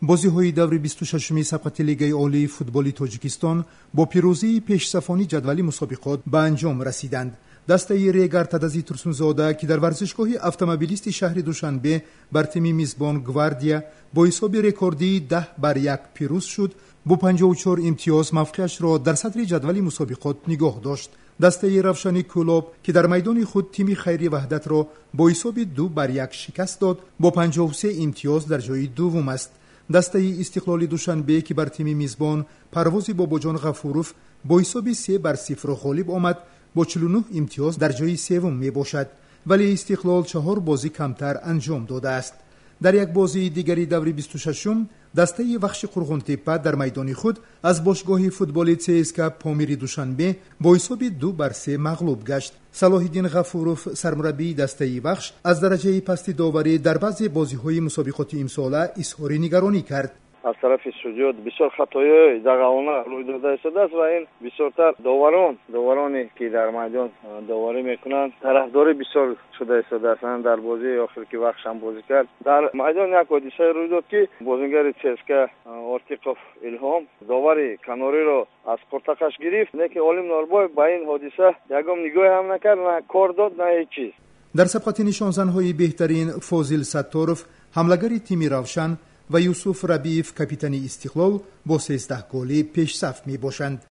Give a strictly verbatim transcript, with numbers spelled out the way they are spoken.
бозиҳои даври бисту шашуми сабқати лигаи олии футболи тоҷикистон бо пирӯзии пешсафони ҷадвали мусобиқот ба анҷом расиданд. дастаи Регар Тадази Турсунзода, ки дар варзишгоҳи автомобилисти шаҳри Душанбе бар тими мизбон Гвардия бо ҳисоби рекордии даҳ бар як пирӯз шуд, бо панҷоҳу чор имтиёз мавқеашро дар садри ҷадвали мусобиқот нигоҳ дошт. дастаи Равшани Кӯлоб, ки дар майдони худ тими Хайри Ваҳдатро бо ҳисоби ду бар як шикаст дод, бо панҷоҳу се имтиёз дар ҷойи дуввум аст. дастаи Истиқлоли Душанбе, ки бар тими мизбон Парвози Бобоҷон Ғафуров бо ҳисоби се бар сифр ғолиб омад, бо чилу нӯҳ имтиёз дар ҷойи севум мебошад, вале Истиқлол чаҳор бозӣ камтар анҷом додааст. дар як бозии дигари даври бисту шашум дастаи Вахши Қурғунтеппа дар майдони худ аз бошгоҳи футболи ЦСКА Помири Душанбе бо ҳисоби ду бар се мағлуб гашт. Салоҳиддин Ғафуров, сармураббии дастаи Вахш, аз дараҷаи пасти доварӣ дар баъзе бозиҳои мусобиқоти имсола изҳори нигаронӣ кард. аз тарафи судиёт бисёр хатоёи дағалона рӯй дода истодааст ва ин бисёртар доварон довароне ки дар майдон доварӣ мекунанд тарафдорӣ бисёр шуда истодааст. дар бозии охир ки Вахшам бозӣ кард дар майдон як ҳодисае рӯй дод ки бозингари ЦСКА Ортиқов Илҳом довари канориро аз қуртақаш гирифт, лекин Олим Норбоев ба ин ҳодиса ягом нигоҳе ҳам накард, на кор дод, на ҳеҷ чиз. дар сабқати нишонзанҳои беҳтарин Фозил Сатторов, ҳамлагари тими Равшан ва Юсуф Рабиев, капитани Истиқлол, бо сездаҳ голӣ пешсаф мебошанд.